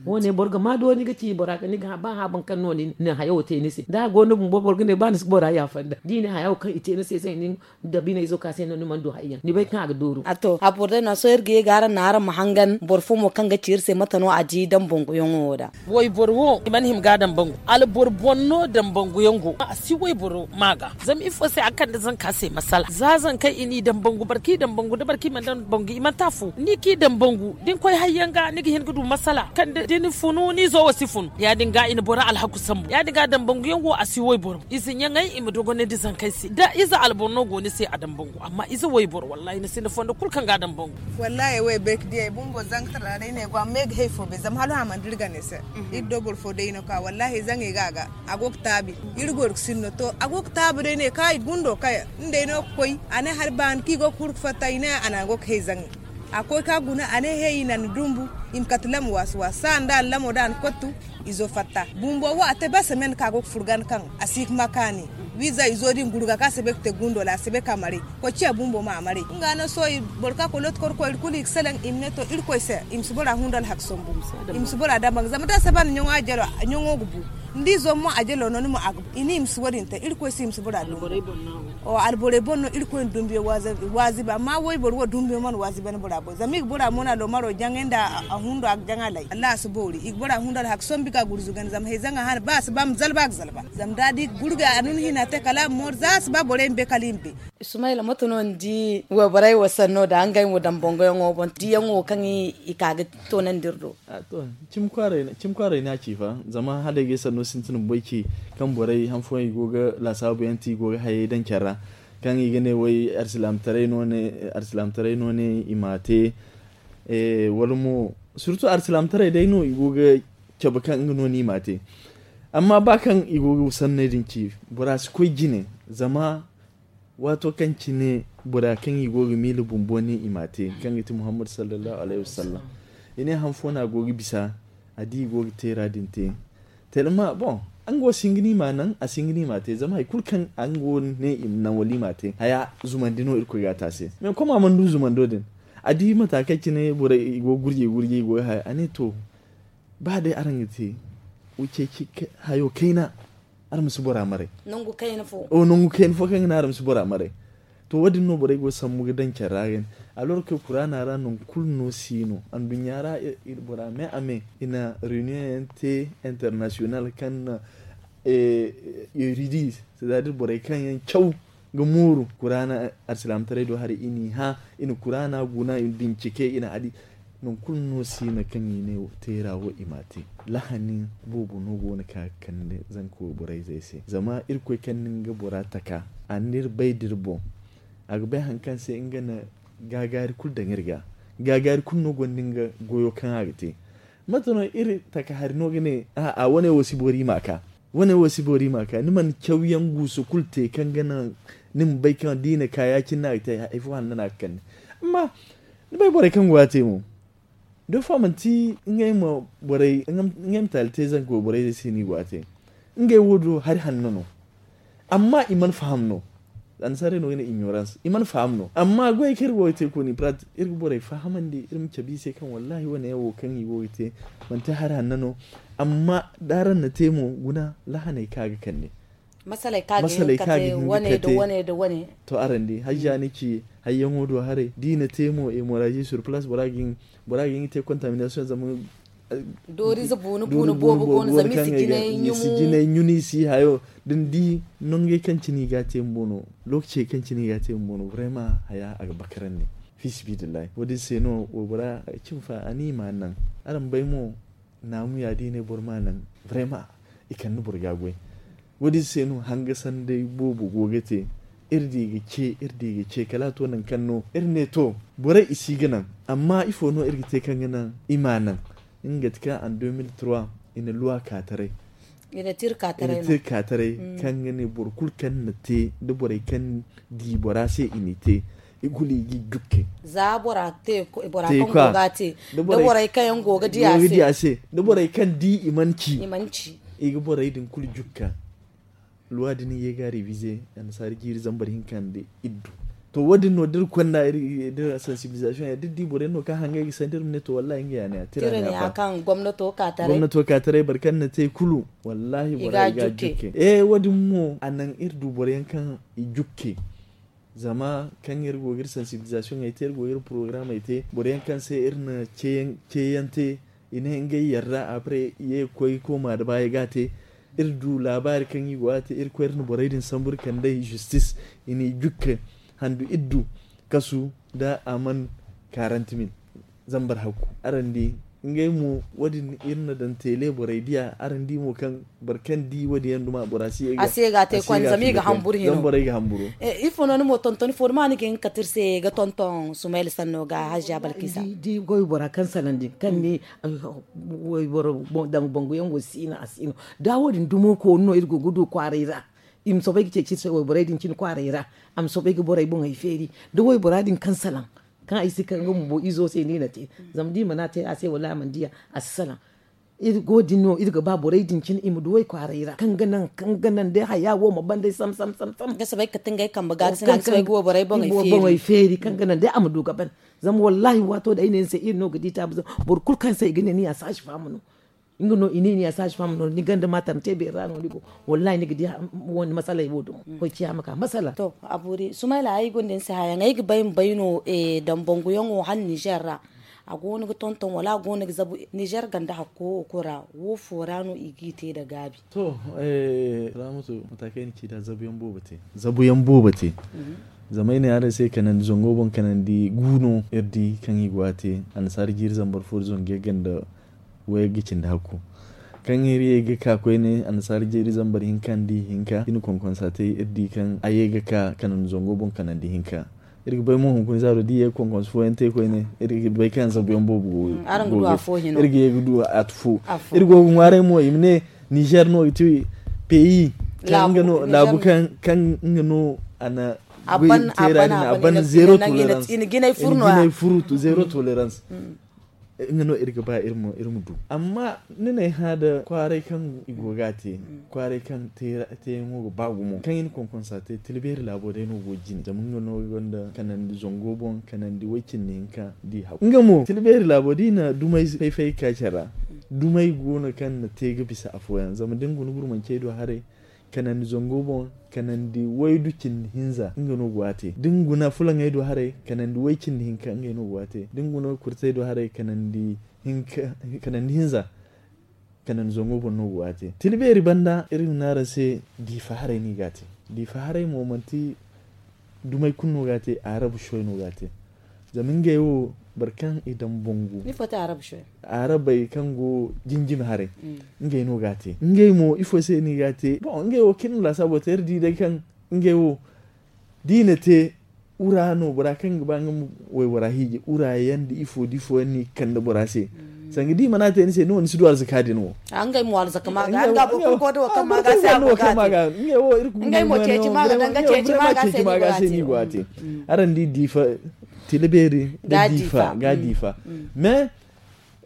Wo- ne boro ga ma do ni ga ci bora ga ni ga ba hã boro kaŋ no ni na hayo te ni se da a go ni bumbo boro ga ne ba ni si bora yaafa nda da i ne haya wo kaŋ i te ni se se ni da biney zo ka se no ni mana du hayyaŋ ni bay kaŋ a ga dooru. A to a boro day no sohõ iri ga ye ga araŋ naŋ araŋ ma hangan boro fo mo kaŋ ga ci iri se mate no a di daŋ bangu yaŋo wo da. Wayboro wo i mana hima ga a daŋ bangu alboro boŋ no daŋ bangu yaŋ go a si wayboro ma ga. Zama ifo se a kande zanka se masala za zankey i n'i daŋ bangu boro kaŋ i daŋ bangu da boro kaŋ i mana daŋ bangu i mana te afo ni kaŋ i daŋ bangu da ni koy hayyaŋ ga ni ga hin ga du masala kande da ni funu ni zo wo si funu ya- din ga i na boro alhaku sambu ya- din ga daŋ bangu yaŋ wo a si wayboro. Ize ɲaŋey i ma dogonandi zankey se da ize alboro no go ni se a daŋ bangu amma ize wayboro wallahi ni sinda fondo kulu kaŋ ga a daŋ bangu. Wallahi ay wo ay bay ga di ay bumbo zanka tara ra ay ne ay go amma ay ga hay fo bay zama hala hã mana dira gana ay se. Iri do boro fo day no ka wallahi zaŋey ga a ga a go ga taabi. Iri go ga sinno to a go ga taabi day ne ka ay gundo kay. Ni day no ga koy a ne hala baani kaŋ i go ga huru ga fatta i ne a naŋ a go ga hay zaŋey. A koy ka guna, a ne he i na ni dumbu. I ma kate lamo waasi waasi saha nda a na lamo da a na kottu. Izo fatta bumbo wo a te ba semen ka go ga furgan kaŋ a si ga ma kaani. Wiiza izo din gurga ka sebe ga te gundo la a sebe ka maray. Koy ciya bumbo ma a maray nga no sohõ. Boro ka koy looti korkoy iri kulu i ga salaŋ i ma ne to irkoy se i ma si bora hundu alhaka sombu. I ma si bora damba zama da a saba ni ɲaŋo a jalo ɲaŋo ga bu. Ni di zommo a jalo no ni ma a ga bu i ne i ma si wo- din te irkoy se i ma si bora dumbu. Alborey boŋ no irkoy na dumbiyo waazi ba amma wayboro wo dumbiyo mana waazi ba ni bora boŋ zama i ga bora mo no a loomaro jaŋay nda a hundo a ga jaŋ a lay wallahi a si boori i ga bora hundo alhaka sombi ga gurzuga ni zama hayzaŋ a hana ba a si ba ma zalba a ga zalba. Zama da a di ga gurga a nuna hina te kala a ma moori za a si ba borey ma bay kala i ma bay. Sumayla mate no ni di wayborey wo sanno da ngey mo daŋ bongoyaŋo boŋ diyaŋo kaŋ i ka ga toonandi iri do? Cimi kwaaray no a ci fa zama hala ay ga ay sanno sintin bumbo ay ci kaŋ borey han fooyaŋ i go ga laasaabu yaŋ te i go ga hayey daŋ care ra kaŋ i ga ne way arsilaamataray no ne i ma a te. Wala mo surtu arsilaamataray day no i go ga cabe kaŋ nga no no i ma a te. Amma ba kaŋ i go ga sanney din ci bora si koy jine zama waato kaŋ cine bora kaŋ i go ga miila bumbo ne i ma a te kaŋ ga ti muhammad sallallahu alayhi wasallam. I ne han fo no a go ga bisa a di i go ga teera din te. Telma boŋ nga wo si hin ga ni ma naŋ a si hin ga ni ma te zama hari kulu kaŋ nga wo ne i ma naŋ wala i ma te haya zumandi no irkoy ga a te a se. Mais koma mana du zumando din a di mata kaŋ cine borey i go ga gurjey gurjey i go ga haya a ne to ba day araŋ ga te ceeci hayo kayna. Araŋ ma si bora maray nangu kayna fo nangu kayna fo kaŋ ga ne araŋ ma si bora maray. To wo- din no borey go ga sambu ga daŋ care ra ga ne. Alors que kuraana ra nangu kulu no si no anduɲɲa ra bora me a me i na reunion yaŋ te international kaŋ na eridi c'est à dire borey kaŋ yaŋ caw ga mooru kuraana arsilaamataray do haray i n'i hã i na kuraana guna i na bincike i na a di. Nangu kulu no si no kaŋ i ne teera wo i m'a te. Lahani boobo no go no ka ga kande zanka wayborey zey se zama irkoy kaŋ na nga bora taka a na iri bay da iri boŋ. A ga bay hari kaŋ se nga na gaagaari kulu daŋ iri ga. Gaagaari kulu no gonda nga goyo kaŋ a ga te. Mate no iri taka hari no ga ne a wane wo si boori i m'a ka. Wane wo si boori i m'a ka ni mana cawyaŋ guusu kulu te kaŋ ga naŋ ni ma bay kaŋ da i na ka ya- cine no a ga te hari fo hanno no a ga kande. Amma ni bay borey kaŋ go a te mo. Da fa manti ngey ma taali te zanka wayborey se no i go a te. Ngey wo do hari hanno no. Amma i mana faham no. Annasaarey no ga ne ignorance i mana faham no amma goyey kaŋ iri go ga te kooni pratik iri ga borey fahamandi iri ma cabe i se kaŋ wallahi wane yaŋ wo kaŋ i go ga te manti hari hanno no. Amma da araŋ na te mo guna lahaney kaŋ a ga kande masaley kaŋ a ga hin ga kate. To araŋ di hajja ni ci hayyaŋo do haray da i na te mo emorazi sur place bora ga hin ga te contamination zama doorize buunu buunu boobo go no zama i si jinay ɲumu i si jinay ɲunu i si hayo da ni di nongey kaŋ cine i ga te bumbo no. Lookacey kaŋ cine i ga te bumbo no vraiment haya a ga bakarandi. Fiisibidillahi wo- din se no waybora cimi fa a ni i ma a naŋ. Araŋ bay mo naamu ya da i ne boro ma a naŋ. Vraiment i kande boro ga goy. Wo- din se no hanga sanday boobo go ga te. Iri di ga ce iri di ga ce kala a to nangu kaŋ no iri ne to borey i si ga naŋ. Amma ifo no iri ga te kaŋ ga naŋ i ma a naŋ? Nga ga ti kaŋ an deux mille trois i na luwa ka taray i na te iri ka taray kaŋ ga ne boro kulu kaŋ na te da borey kaŋ di bora se i n'i te. I kulu i g'i jukke za bora te bora kaŋ go ga a te da borey kaŋ yaŋ go ga di a se da borey kaŋ di i mana ci i ga borey din kulu jukka. Luwa din i ye ga reviser annasaari jiiri zambar hinka nda iddu. To wo- din no da iri konda da iri sensibilisation ya da iri di boro yaŋ no kaŋ hangay ga sanda iri ma ne to wallahi nga ya ne ya tira ne ya fa. Gomnato ka taray boro kaŋ na te kulu wallahi boro i ga jukke. Eh wo- din mo a naŋ iri du boro yaŋ kaŋ i jukke. Zama kaŋ iri go ga iri sensibilisation ay te iri go ga iri program ay te boro yaŋ kaŋ se iri na ceeyaŋ te i ne ngey yarda après i ye ga koy ga kooma da baayi ga a te. Iri du laabaari kaŋ i go ga a te iri koy iri na borey din sambu iri kand'ey justice i n'i jukke handu iri du kasu da a mana quarante mille. Zambar hakku araŋ di ngey mo wo- din iri na daŋ tele borey diya araŋ di mo kaŋ boro kaŋ di wo- din yaŋ duma bora si ye ga a se ga a te kwani zama i ga hamburu hino zama borey ga hamburu. Ifo no ni mo tonton ifo ni ma ni ga hin ga kate iri se ga tonton sumayla sanno ga hajja balkisa. Di goy bora kaŋ salaŋ din kaŋ ni wayboro daŋ banguyaŋ wo si no a si no da wo- din dumo koonu no iri go ga du kwaaray ra. I ma soobay ga ceeci iri se wayborey din cine kwaaray ra. A ma soobay ga borey boŋey feeri da waybora din kaŋ salaŋ. kaŋ ay si ka nga bumbo izo se no i na te. Zama da i mana te a se wala a mana diya, a si salaŋ. Iri go din no iri ga ba borey din cine i ma du way kwaaray ra kaŋ ga naŋ kaŋ ga naŋ day haya wo ma ban day sam sam sam sam. Ga si bay kate ngey kambe ga ga si naŋ ga si bay ga wo borey boŋey feeri kaŋ ga naŋ day a ma du ga ban. Zama wallahi waato da ay ne ni se iri no ga di taabu zama boro kulu kaŋ se i ga ne ni ya saasi faamu no. Nga no i ne ni ya saasi faamu no ni ganda ma taŋ te beeri ra no ni go. Wallahi ni ga di wani masaley wo dumo koy ciya ma ka masala. To a boori sumayla ay gonda ni se hayaŋ ay ga bay ma bay no. Dambangu yaŋo hala nizer ra a go no ga tonton wala a go no ga zabu nizer ganda hakko wo kulu ra wo fo ra no i ga i te nda gaabi? To, salaamatu mata kaŋ ay na ci nd'a zabu yaŋ boobo te. Zabu yaŋ boobo te. Zama ay ne araŋ se kanandi zango boŋ kanandi gu no iri di kaŋ i go a te. Annasaara jiiri zambar fo nda zangu yagga nda wayagga ga cindi hakku. Kaŋ iri ye ga ka koyne annasaara jiiri zambar hinka nda ihinka i na konkonsa te iri di kaŋ a ye ga ka kanandi zango boŋ kanandi hinka. Iri ga bay mo hunkuna zaaro da i ye ga konkonsa fooyaŋ te koyne iri ga bay kaŋ zabu yaŋ boobo go ga ye ga du a tufo. Iri go ga ŋwaaray mo i ma ne nizer no ga ti peyi kaŋ nga no laabu kaŋ nga no a na goy teera din a ban zero tolerance. Iri ga jinay furu to zero tolerance. Nga no iri ga ba iri ma du amma ni na ay hã nda kwaaray kaŋ i go ga a te. Kwaaray kaŋ teeyaŋo ga ba gumo kaŋ i na konkonsa te tila beeri laabo day no go jine zama nga no gonda kanandi zango boŋ kanandi way-cindi hinka da i hagu nga mo tila beeri laabo da i na dumay fay-fay ga ka care ra. Dumay go no kaŋ na te ga bisa afooyaŋ zama da ni guna gurmancey do haray kanandi zango boŋ kanandi waydu cindi hinza nga no go a te da ni guna fulaŋey do haray kanandi way-cindi hinka ngey no go a te da ni guna kurtey do haray kanandi hinza kanandi zango boŋ no go a te tila beeri banda iri ma ne araŋ se diifa haray no i ga a te. Diifa haray mo manti dumey kulu no ga a te arabu shoy no ga a te. Zama ngey wo boro kaŋ i daŋ bangu arabey kaŋ go jinjimi haray ngey no ga a te ngey mo ifo se no i ga a te boŋ ngey wo kaŋ iri na laasaabo te iri di day kaŋ ngey wo da i na te wura no bora kaŋ ga ba nga ma waybora hiiji wura yaŋ nda ifo da ifo yaŋ no i ga kande bora se. Sanga da i mana te ni se no ni si du arzaka din wo. Ngey mo arzaka ma ga nga boro kulu go da wo kaŋ ma ga se a go ga te. Ngey mo ceeci ma ga daŋ ga ceeci ma ga se ni go a te. Araŋ di diifa tila beeri nda diifa ga diifa mais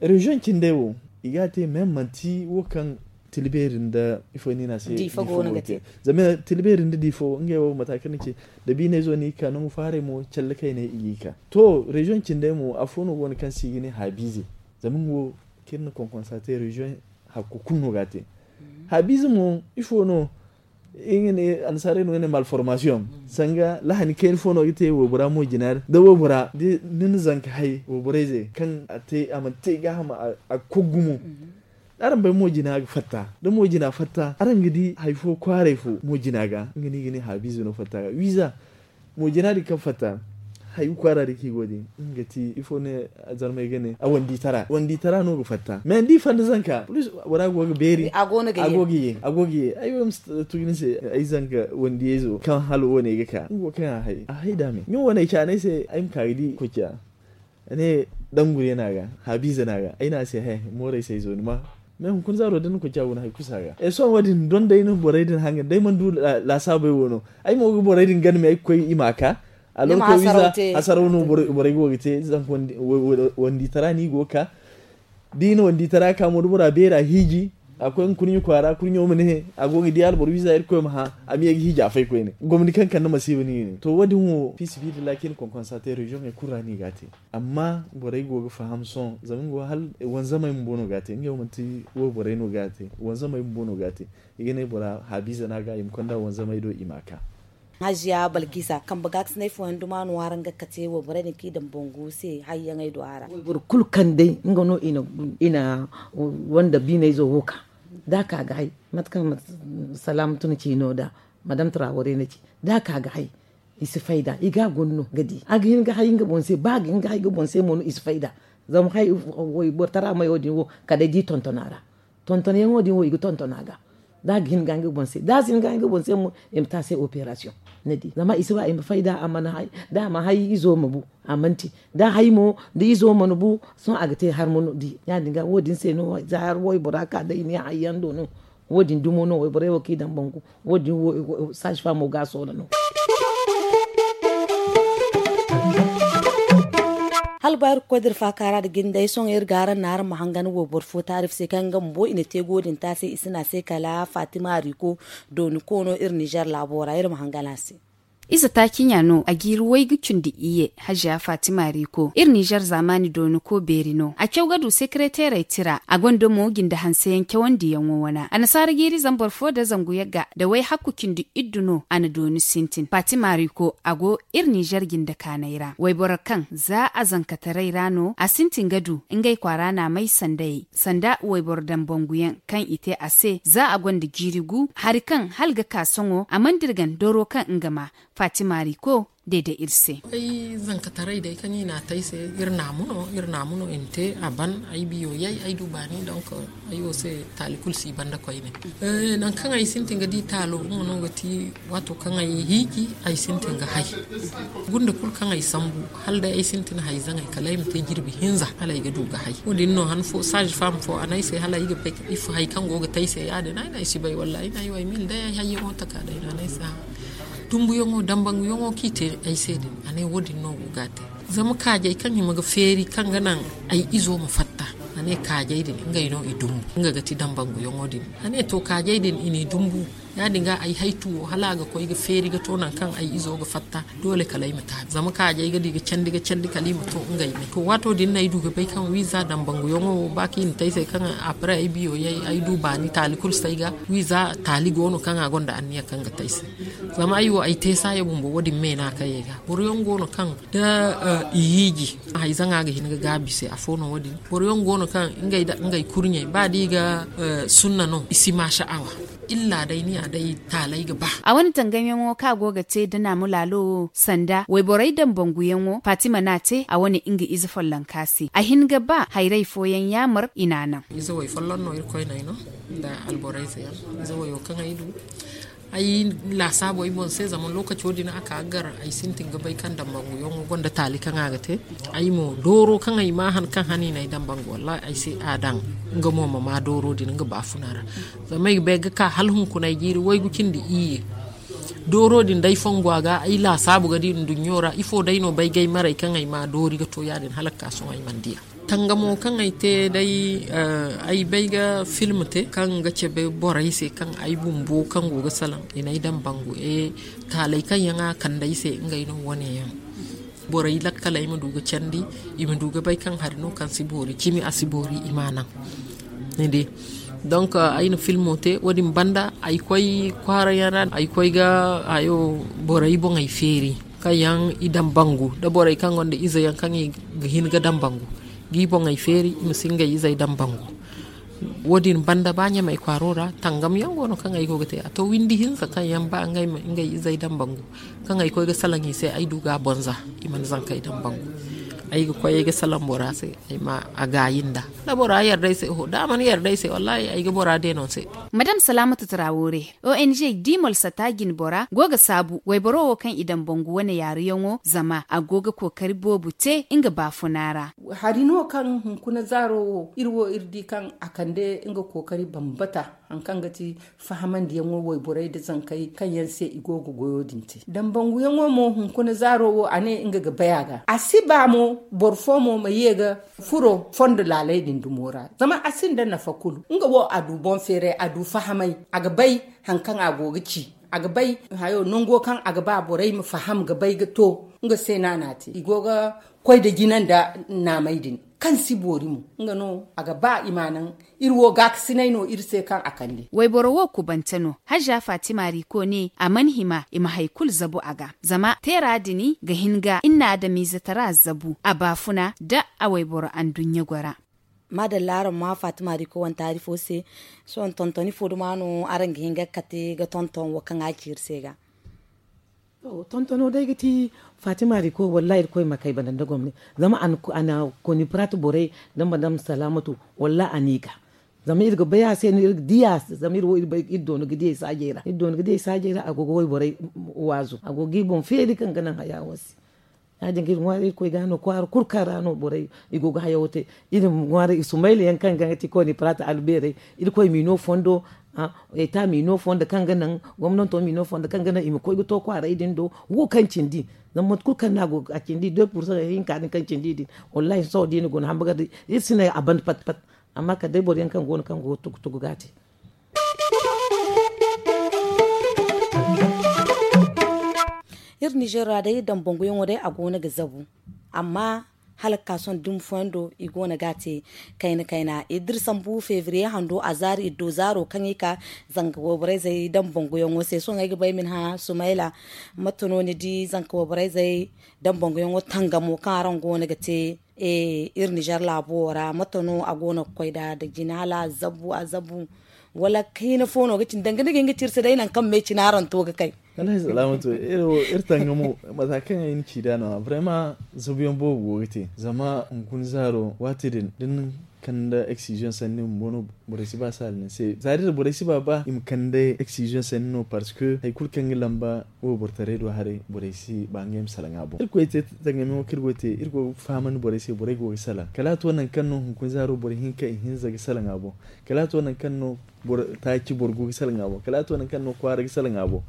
reziyoŋ cindey wo i ga a te mais manti wo kaŋ tila beeri nda ifo no i ne a se diifa go no ga te. Zama tila beeri nda diifa wo ngey wo mata kaŋ ni ci da biinayzo no i ga ka nangu fo haray mo calle kayney i ga i ka to reziyoŋ cindey mo afo no go no kaŋ se i ga ne haabiize. Zama nga wo kaŋ iri na konkonsa te reziyoŋ hakku kulu no ga a te. Haabiize mo ifo no i ga ne annasaarey no ga ne malformasiyoŋ sanga lahani kayna fo no ga te waybora mo jina ra da waybora da ni na zanka hay wayborey ze kaŋ a te a mana te gaaham a ga kogu gumo. Araŋ bay mo jina ga fatta da mo jina fatta araŋ ga di hari fo kwaaray fo mo jina ga nga no i ga ne haabiize no fatta ga wiiza. Mo jina din kaŋ fatta hari kwaara din kaŋ i go din nga ti ifo ne zarmey ga ne a wandi tara wandi tara no ga fatta mais da i fanda zanka bora go ga beeri a go ga ye a go ga ye ay wo ma si tugu ni se ay zanka wandiyayzo kaŋ hala wo ne ga ka nga wo kaŋ a hay a hay da me ɲun wane ay caanay se ay ma ka ga di koy ciya ne dangure no a ga haabiize no a ga ay ne a se he mooray se ay zo ni ma mais hunkuna zaaro da ni koy ciya go no hari kusa ga e sohõ wo- din don day no borey din hanga day mana du laasaabey wo no ay mo ga borey din gana me ay ga koy i ma a ka. Alorko wiiza hasaraw no borey go ga te zanka wandi tara no i go ga ka da i na wandi tara ka mo da bora beera hiiji a koy nga kurɲe kwaara kurɲo ma ne a go ga di alboro wiiza irkoy ma hã a ma ye ga hiiji a fay koyne gomni kaŋ kande masiiba no i ne to wo- din wo fiisabilillahi kaŋ i na konkonsa te reziyoŋey kulu ra no i ga a te. Amma borey go ga faham sohõ zama nga wo hala wanzamey bumbo no ga a te ngey wo manti wo borey no ga a te wanzamey bumbo no ga a te. I ga ne bora haabiize no a ga i ma konda wanzamey do i ma a ka. Hajiya balkiisa kambe gaakasinay fooyaŋ duma no araŋ ga kate wayborey din kaŋ i daŋ bangu se hayyaŋey do a ra. Wayboro kulu kaŋ day nga no i na wanda biinayzo wo ka da a ka ga hay mate kaŋ salaamu tun ci no da madame turawarey na ci da a ka ga hay. I si fayda i ga a guna no ga di a ga hin ga hay nga boŋ se ba a ga hin ga hay nga boŋ se mo no i si fayda. Zama hay wayboro tara mayo din wo kala day da i tonton a ra tontonyaŋo din wo i ga tonton a ga. Da a ga hin ga nga boŋ se da a si hin ga nga boŋ se mo i ma te a se operasiyoŋ. Ni di zama i si ba i ma fayda a mana hay da a ma hay izo ma bu a mana te da hay mo da izo mana bu sohõ a ga te har ma di ya- din ga wo- din se no za har waybora ka day ni hayyaŋ do no. Wo- din dumo no wayborey wo kaŋ i daŋ bangu wo- din wo saasi faamo ga a soona no. Hala ba iri ga koy da iri faakaara nda jinde ay sohõ iri ga araŋ naŋ araŋ ma hangan wayboro fo taarif se kaŋ nga bumbo i na te go din taasi i si ne a se kala fatima riko dooni koono iri nizer laabo ra iri ma hangan a se. Ize taaci ɲa no a jiiri waygu cindi iyye. Haziya fatima riko iri nizer zaamaani dooni ko beeri no a caw ga du sekereteerey tira a gonda mo jinde hanseyaŋ cawandiyaŋo wana annasaara jiiri zambar fo nda zangu yagga nda wayhakku cindi iddu no a na dooni sintin fatima riko a go iri nizer jinde kaanay ra wayboro kaŋ za a zankataray ra no a sintin ga du ngey kwaara naamay sandayey sanda wayboro dambanguyaŋ kaŋ i te a se za a gonda jiiri gu hari kaŋ hala ga ka sohõ a mana dirgan doro kaŋ nga ma fatima riko deede iri se. Ay zankataray day kaŋ i n'a te ay se iri naamu no iri naamu no i na te a ban ay biyo yay ay du baani donk ay wo se taali kulu si banda koyne. Nangu kaŋ ay sintin ga di taalo nga no ga ti waato kaŋ ay hiiji ay sintin ga hay gunda kulu kaŋ ay sambu hala day ay sintin hay zaŋay kala ay ma te jirbi hinza hala ay ga du ga hay wo- din no han fo saazi faam fo a ne ay se hala ay ga bay ifo hay kaŋ go ga te ay se ya- din ay ne ay si bay wallaahi ay ne ay wo ay ma hin day ay hayyaŋo taka day no a ne ay se. Dumbuyaŋo dambanguyaŋo kaŋ i te ay se din a ne wo- din no go ga a te. Zama kaajay kaŋ hima ga feeri kaŋ ga naŋ ay izo ma fatta a ne kaajay din ngey no i dumbu nga ga ti dambanguyaŋo din. A ne to kaajay din i n'i dumbu ya- din ga ay haytu wo hala a ga koy ga feeri ga to nangu kaŋ ay izo ga fatta doole kala ay ma taabi zama kaajay ga di ga candi ga candi kala i ma to ngey me to waato din no ay du ga bay kaŋ wiiza dambanguyaŋo wo ba kaŋ i na te ay se kaŋ après ay biyo yay ay du baani taali kulu si ay ga wiiza taali go no kaŋ a gonda anniya kaŋ ga te ay se. Zama ay wo ay te saaya bumbo wo- din me no a kayey ga boro yaŋ go no kaŋ da i hiiji hayzaŋa ga hin ga gaabi se afo no wo- din boro yaŋ go no kaŋ ngey da ngey kurɲey ba da i ga sunna no i si ma sha'awa illa day ni a day taalay ga ba. A wane tangamyaŋo kaŋ a go ga te da naamu laalo wo sanda wayborey dambanguyaŋo fatima no a te a wane nga ize follonka se a hin ga ba hayray fooyaŋ yaamar i n'a naŋ. Ize way folloŋ no irkoy no ay no nda alborayze yaŋ ize wayo kaŋ ay du ay laasaabo ay boŋ se zama lookaco din a ka ga gar ay sintin ga bay kaŋ dambanguyaŋo gonda taali kaŋ a ga te. Ay mo dooro kaŋ ay ma han kaŋ han i na ay dambangu wallahi ay se a daŋ nga mo ma ma dooro din nga baafuna ra. Zama ay ga bay ga ka hala hunkuna ay jiiri waygu cindi iyye dooro din day fongo a ga ay laasaabu ga di nduɲɲo ra ifo day no bay ga ay maray kaŋ ay ma doori ga to ya- din hala ga ka sohõ ay mana di a. Tangamo kaŋ ay te day ay bay ga film te kaŋ ga cabe borey se kaŋ ay bumbo kaŋ go ga salaŋ i na ay daŋ bangu e taaley kaŋ yaŋ a kande ay se ngey no wane yaŋ. Borey lakkaley ma du ga candi i ma du ga bay kaŋ hari no kaŋ si boori cimi a si boori i ma a naŋ. Ni di donk ay na filmo te wo- din banda ay koy kwaara yaŋ ra ay koy ga hayo borey boŋey feeri kaŋ yaŋ i daŋ bangu nda borey kaŋ gonda ize yaŋ kaŋ i ga hin ga daŋ bangu ga i boŋey feeri i ma si ngey izey daŋ bangu. Wo- din banda ba ɲamey kwaaro ra tangam yaŋ go no kaŋ ay go ga te a to windi hinza kaŋ yaŋ ba ngey ma ngey izey daŋ bangu kaŋ ay koy ga salaŋ i se ay du ga a bonza i mana zankey daŋ bangu. Ay ga koy ay ga salaŋ bora se ay ma a gaayi nda da bora yarda ay se oho da a mana yarda ay se wallahi ay ga bora deeno se. Madam salaamatu tarawoore, ong dimol sata jinbora go ga saabu wayboro wo kaŋ i daŋ bangu wane yaaruyaŋo zama a go ga kookari boobo te nga baafuna ra. Hari no kaŋ hunkuna zaaro wo iri wo iri di kaŋ a kande nga kookari bambata hari kaŋ ga ti fahamandiyaŋo wayborey nda zankey kaŋ yaŋ se i go ga goyo din te daŋ banguyaŋo mo hunkuna zaaro wo a ne nga ga bay a ga a si ba mo boro fo mo ma ye ga furo fondo laaley din dumo ra zama a sinda nafa kulu nga wo a du boŋ feeray a du fahamay a ga bay hari kaŋ a go ga ci a ga bay hayo nango kaŋ a ga ba borey ma faham ga bay ga to nga se no a na a te i go ga koy nda jina nda naamey din kaŋ si boori mo nga no a ga ba i ma a naŋ. Iri wo gaakasinay no iri se kaŋ a kande. Wayboro wo kubante no haza fatima riko ne a mana hima i ma hari kulu zabu a ga zama teera din ga hin ga inna adamiize tara zabu a baafuna nda a wayboro anduɲɲa gora. Maadalla araŋ ma fatima riko wane taari fo se. Sohõ tonton ifo duma no araŋ ga hin ga kate ga tonton wo kaŋ a ci iri se ga? Tontono day ga ti fatima riko wallahi irkoy ma kay banda nda gomni zama a na koni prat borey nda madam salamatu. Wallahi a n'i ga zama iri ga bay a se no iri ga di a se zama iri wo iri bay iri doona ga di ay saajey ra iri doona ga di ay saajey ra a go ga wayborey waazu a go ga i boŋ feeri kaŋ ga naŋ haya wo se. Ya- din ga iri ŋwaari irkoy ga no kwaara kulu kaŋ ra no borey i go ga hayawo te. Iri ma ŋwaari i sumayla yaŋ kaŋ ga ti koni prat albeerey irkoy m'i no fondo. Eta ma i no fondo kaŋ ga naŋ, gomnanto ma i no fondo kaŋ ga naŋ i ma koy ga to kwaaray din do. Wo kaŋ cindi, zama mate kulu kaŋ no a go a cindi de pursa hinka din kaŋ cindi din. Wallahi sohõ da i na guna hambagar da iri si ne a banda pat pat. Amma kala day boro yaŋ kaŋ go no kaŋ go ga tugu tugu ga a te. Iri nizeer ra day dambanguyaŋo day a go no ga zabu. Amma hala ga ka sohõ dumi fooyaŋ do i go no ga a te kayna kayna. Iri da iri sambu febriye hando a zaari iri do zaaro kaŋ i ka zanga wayborey zey dambanguyaŋo se sohõ ay ga ba ay ma ni hã sumayla. Mate no ni di zanka wayborey zey dambanguyaŋo tangamo kaŋ araŋ go no ga te iri nizeer laabo wo ra mate no a go no ga koy nd'a da jina hala a zabu a zabu? Wala kaina fo no ga cine danga ni ga hin ga ci iri se day nangu kaŋ me cine araŋ to ga kay? Wallaahi salaamatu, iri tangamo mata kaŋ ay na ci nd'a no a vraiment zabuyaŋ boobo go ga te zama hunkuna zaaro waati din da ni kande eksiziyoŋ sanni bumbo no. Borey si ba saala ni se za din borey si ba ba i ma kande eksiziyoŋ sanni no parce que hari kulu kaŋ ga lamba waybortaray do haray borey si ba ngey ma salaŋ a boŋ. Iri koy te tangamiyaŋo kaŋ iri go ga te iri go ga fahamandi borey se borey go ga salaŋ kala a to nangu kaŋ no hunkuna zaaro boro hinka ihinza ga salaŋ a boŋ. Kala a to nangu kaŋ no taaci boro go ga salaŋ a boŋ kala a to nangu kaŋ no kwaara ga salaŋ a boŋ.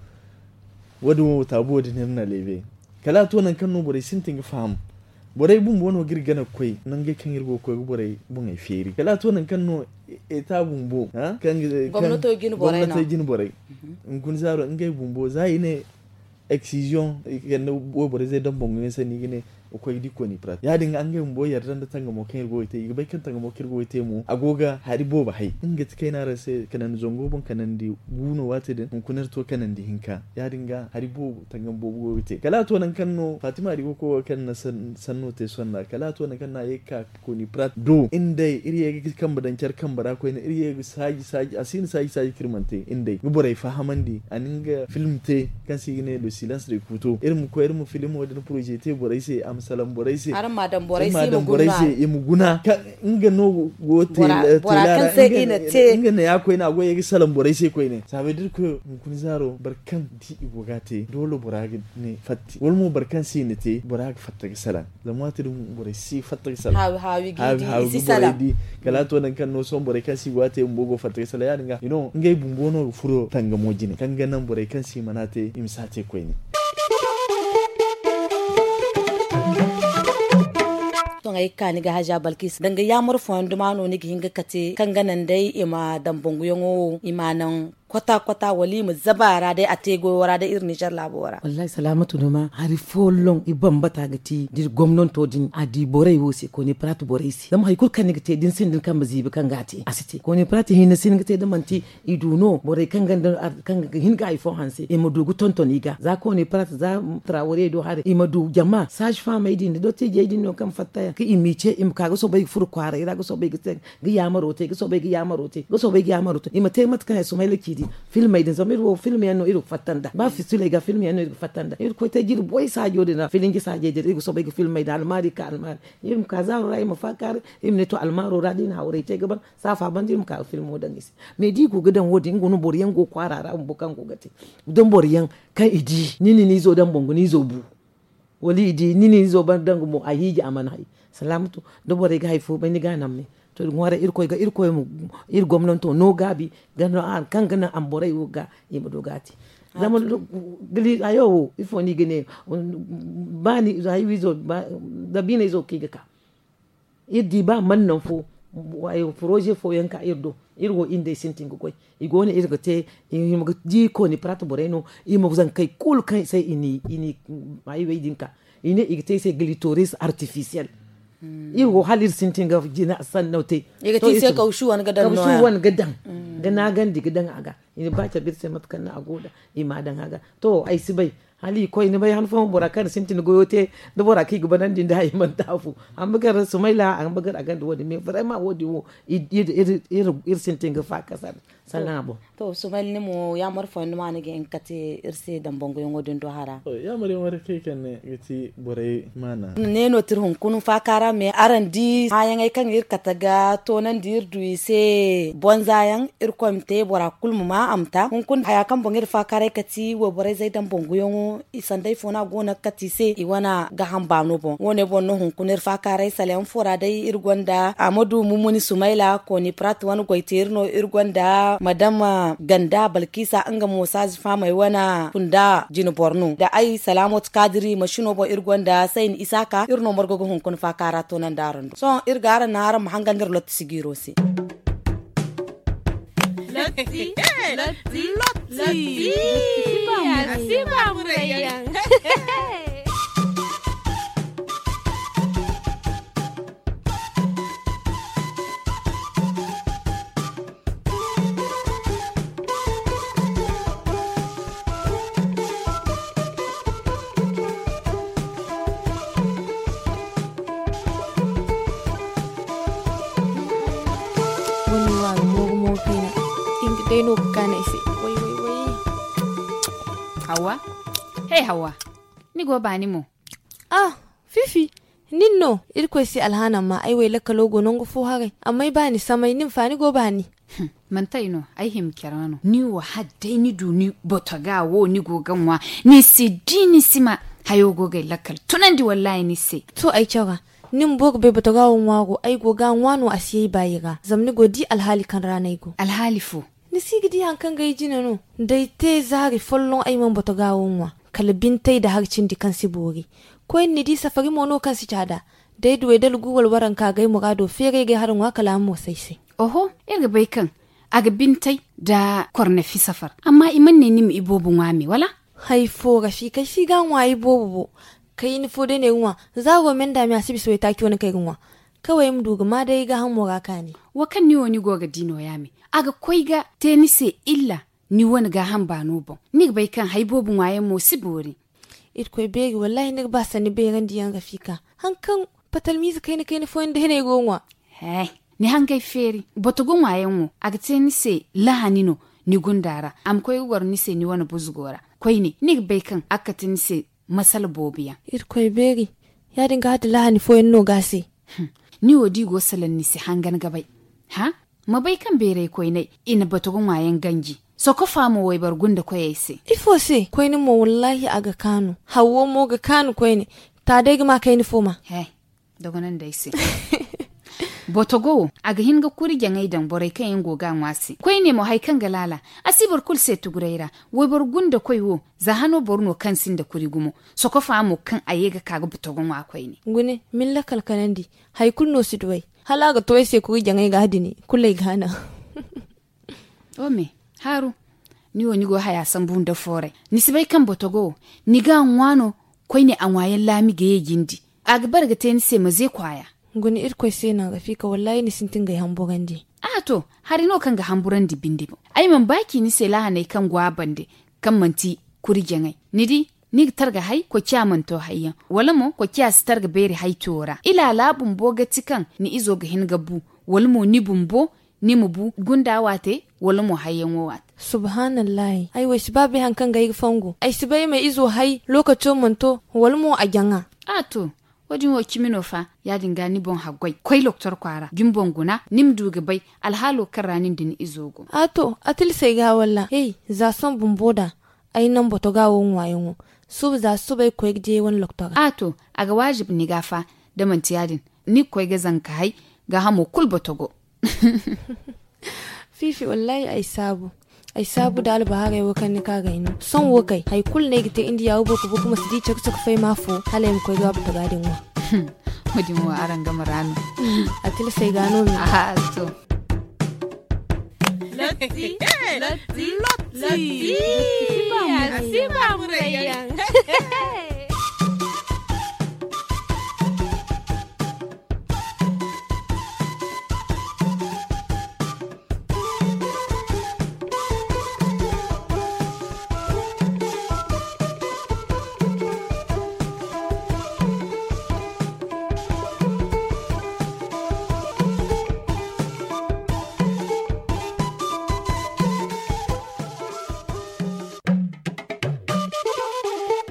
Wo- din wo taabu wo din iri na leebe kala a to nangu kaŋ no borey sintin ga faham. Borey bumbo no ga iri gana ga koy nangey kaŋ iri go ga koy ga borey boŋey feeri kala a to nangu kaŋ no eta bumbo kaŋ gomnatey jine borey hunkuna zaaro ngey bumbo za i ne eksiziyoŋ i ga kande wayborey zey dambanguyaŋ sanni i ga ne ga koy ga di kooni prat ya- din ga ngey bumbo yarda nda tangamo kaŋ iri go ga te i ga bay kaŋ tangamo kaŋ iri go ga te mo a go ga hari boobo hay nga ti kayna ra se kanandi zango boŋ kanandi gu no waati din hunkuna iri to kanandi hinka ya- din ga hari boobo tangam boobo go ga te kala a to nangu kaŋ no fatima di go ga koy wo kaŋ na sanno te sonna kala a to nangu kaŋ no a ye ga ka kooni prat do iri ye ga kambe daŋ care kambe ra koyne iri ye ga saaji saaji a si na saaji saaji kaŋ iri mana te iri day ga borey fahamandi a na nga film te kaŋ se i ga ne le silence de kuto iri ma koy iri ma film wo- din poroze te borey se a ma salaŋ borey se araŋ ma a daŋ borey se i ma guna nga no go te bora kaŋ se i na te nga ne ya koyne a go ye ga salaŋ borey se koyne saabay da iri koy hunkuna zaaro boro kaŋ di i go ga a te doole bora ga ne fatta wala mo boro kaŋ se i na te bora ga fatta ga salaŋ zama waati din borey si fatta ga salaŋ haawi haawi ga i di i si salaŋ kala a to nangu kaŋ no sohõ borey kaŋ se i go ga a te bumbo go fatta ga salaŋ ya- din ga i no ngey bumbo no ga furo tangamo jine kaŋ ga naŋ borey kaŋ se i mana te i ma si a te koyne. Sohõ ay ga ka ni ga haja balkis danga yaamar fooyaŋ duma no ni ga hin ga kate kaŋ ga naŋ day i ma daŋ banguyaŋo wo i ma a naŋ kwata kwata wala i ma zaba a ra day a te goyo ra day iri nizer laabo ra. Wallaahi salaamatu duma hari foolloŋ i bambata ga te da iri gomnanto din a di borey wo se kooni piraat borey se zama hari kulu kaŋ ni ga te da ni sinda ni kambe ziibi kaŋ ga a te a si te kooni piraat hinne si ni ga te da manti i du no borey kaŋ ga hin ga hari fo hanse i ma du ga tonton i ga za kooni piraat za tarawarey do haray i ma du jama saazi faamey din da dottijey din no kaŋ fatta yaŋ kaŋ i m'i ce i ma ka ga soobay ga furo kwaaray ra ga soobay ga te ga yaamaro te ga soobay ga yaamaro te ga soobay ga yaamaro te i ma te mate kaŋ ya sumayla ciidi filmey din zama iri wo film yaŋ no iri ga fatta nd'a ba fisuley ga film yaŋ no iri ga fatta nd'a iri ga koy te jirbi way saajo din ra filinji saajey din iri ga soobay ga filmey da almaari ka almaari iri ma ka zaaro ra iri ma faakaari iri ma ne to almaaro ra da i na hawray te ga ban saafa banda iri ma ka ga filmo daŋ i se. Mais da i go ga daŋ wo- din nga no boro yaŋ go kwaara ra bumbo kaŋ go ga te da boro yaŋ kaŋ i di ni na ni izo daŋ boŋ ga ni izo bu wala i di ni na ni izo ban daŋ ga mo a hiiji a mana hay. Salaamatu da borey ga hari fo bay ni ga a naŋ me to iri ŋwaaray irkoy ga irkoy ma iri gomnanto no gaabi ga no araŋ kaŋ ga naŋ a ma borey wo ga i ma du ga a te. Zama hayo wo ifo no i ga ne ba ni izo hay wo izo da biina izo kaŋ i ga ka iri di ba mana naŋ fo poroze fooyaŋ ka iri do iri wo iri nd'ey sintin ga goy i go no iri ga te i ma ga di kooni piraat borey no i ma zankey kulu kaŋ se i n'i haywey din ka i ne i ga te ay se glitoris artifisiyel. Iri wo hala iri sintin ga jina sanno te i ga te i se kawsu wane ga daŋ ga naagandi ga daŋ a ga i na ba cabe iri se mate kaŋ no a go nd'a i m'a daŋ a ga. To ay si bay hala i koy ni bay han fooyaŋ bora kaŋ na sintin goyo te da bora kaŋ i ga banandi nda i mana taafu. Amma gar sumayla amma gar a gonda wo- din mais vraiment wo- din wo iri sintin ga faakasar sannan a boŋ. To sumayla ni mo yaamar fooyaŋ ni ma ni ga hin ga kate iri se dambanguyaŋo din do hara. Yaamar yaŋo day kaŋ i kande ga ti borey maana ne no tira hunkuna faaka ra mais araŋ di hãyaŋey kaŋ iri kate ga toonandi iri du i se bonza yaŋ irkoy ma te bora kulu ma ma a ma ta hunkuna haya kaŋ boŋ iri faakaaray kati wayborey zay daŋ boŋ guyaŋo. I sanday fo no a go no ga kati i se i wane gaaham baano boŋ wo- ne boŋ no hunkuna iri faakaaray saleyaŋ fo ra day iri gonda amadu mumuni sumayla kooni prat wane goyteeri no iri gonda madama ganda balkiisa nga mo saazi faamey wane kunda jine boro no nda ay salaamot kaadiri masino boŋ iri gonda sayni isaaka iri no margo ga hunkuna faakaara toonandi araŋ do sohõ iri ga araŋ naŋ araŋ ma hangan iri lotti sigiiro se. Lotti, lotti, lotti. Lotti. Lotti. Lotti. Lotti. Lotti. Lotti. Lotti. Lotti. Wane wo a ga mooru mooru kayna. Nga day no ga kaanu ay se. Way way way. Hawa. Hey hawa. Ni go baani mo? Ah, fifi. Nin no. Irkoy se alhaana ma ay way lakkalo go nangu fo haray amma ay baani samay nin fa ni go baani. Manti ay no. Ay hima care no ni wo hala day ni du ni botoga wo ni go ga ŋwa. Ni si di ni si ma hayo go ga ay lakkal tunandi wallahi ni se. To ay care. Ni bumbo ga bay botoga wo ŋwaaro ay go ga a ŋwa no a si ye ay baayi ra zama ni go di alhaali kaŋ ra no ay go. Alhaali fo? Ni si ga di hari kaŋ ga ay jine no. Da ay te zaari folloŋ ay mana botoga wo ŋwa. Kala bintay nda hari cindi kaŋ si boori. Koyne ni di safari mo no kaŋ si caada. Da ay du ay dala gu wala waranka ga ay muraado feeray ga ay hara ŋwa kala a ma moosay se. Oho, iri ga bay kaŋ a ga bintay nda kornefi safar. Amma i mana ne ni ma iboobo ŋwa me wala? Hari fo rafika ay si ga a ŋwa iboobo bo. Kayna fo day no ay ga ŋwa. Zaaro me nda me a si bisa waytaaci wane kaŋ ay ga ŋwa. Kaway ay ma du ga ma day ay gaahamo ra kaani. Wo kaŋ ni wo ni go ga di nooya me. A ga koy ga te ni se illa. Ni wane gaaham baano boŋ ni ga bay kaŋ hari boobo ŋwaayaŋ mo si boori. Irkoy beeri wallaahi ni ga ba sanni bayrandi yaŋ rafika. Hari kaŋ patalmiize kayna kayna fooyaŋ day no ay go ga ŋwa. He, ni hangay feeri. Botogo ŋwaayaŋ wo a ga te ni se lahani no. Ni gunda ra a ma koy ga goro ni se ni wane buzgo ra. Koyne ni ga bay kaŋ a ga kate ni se masala boobo yaŋ. Irkoy beeri. Ya- din ga hati lahani fooyaŋ no ga a se. Ni wo da i go ga salaŋ ni se hangan ga bay. Ha, ma bay kaŋ beeray koyney i na batogo ŋwaayaŋ ganji. Sokofa mo wayboro gunda koyey se. Ifo se koyne mo wallaahi a ga kaanu. Hawwo mo ga kaanu koyne. Ta day ga ma kayna fo ma. He, dogonandi ay se. Botogo wo a ga hin ga kuri jaŋay daŋ borey kaŋ yaŋ go ga a ŋwa se koyne mo hari kaŋ ga laala. A si boro kulu se tuguray ra. Wayboro gunda koy wo za hano boro no kaŋ sinda kuri gumo. Sokofa mo kaŋ a ye ga ka ga botogo ŋwa koyne. Gune, ma ni lakkal kanandi. Hari kulu no si du ay. Hala a ga to ay se kuri jaŋay ga a dini kulu ay ga a naŋ. Ome, haaru. Ni wo ni go haya sambu nda fooray. Ni si bay kaŋ botogo wo ni ga a ŋwa no. Koyne a ŋwaayaŋ laami ga ye jindi. A ga bare ga te ni se ma ze kwaaya. Guna irkoy se no a ga fiika wallaahi ni sintin ga ay hamburandi. A to, hari no kaŋ ga hamburandi binde boŋ. Ay mana ba ci ni se laahaney kaŋ go a bande, kaŋ manti kuri jaŋay. Ni di, ni ga targa hay koociya mana to hayyaŋ, wala mo koociya si targa beeri hay to ra ilaala bumbo ga ti kaŋ ni izo ga hin ga bu, wala mo ni bumbo ni ma bu gunda waate, wala mo hayyaŋo waate. Subhaanallahi, ay wo ay si ba bay hari kaŋ ga ay ga fongu. Ay si bay ay ma izo hay lookaco mana to, wala mo a jaŋa. A to, wo- din wo cimi no fa. Ya- din ga ni boŋ haggoy koy loktor kwaara da ni boŋ guna, ni ma du ga bay alhaalo kaŋ ra nin da ni izo go. A to, a tilasay ga walla hey, za sohõ bumbo da ay naŋ botoga wo ŋwaayaŋo. Suba za suba ay ga koy ga diyay wane loktora. A to, a ga waajib ni ga fa. Da manti ya- din, ni ga koy ga zanka hay, gaahamo kulu botogo. Fiifi wallaahi ay saabu. Ay saabu da albahaarey wo kaŋ ni ka ga ay no sohõ wo kay hari kulu no ay ga te indiya wo boro ku boro ku ma si di caka caka fay ma fo. Hala ay ma koy ga botoga din ŋwa. Wo- din wo araŋ game ra no. A tilasay ga no me. Aha, to. Lotti, lotti, lotti. Lotti. Lotti. Lotti. Lotti. Lotti. Lotti.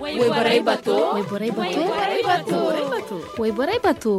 Waiborai bato. Waiborai bato. Waiborai bato. Waiborai bato.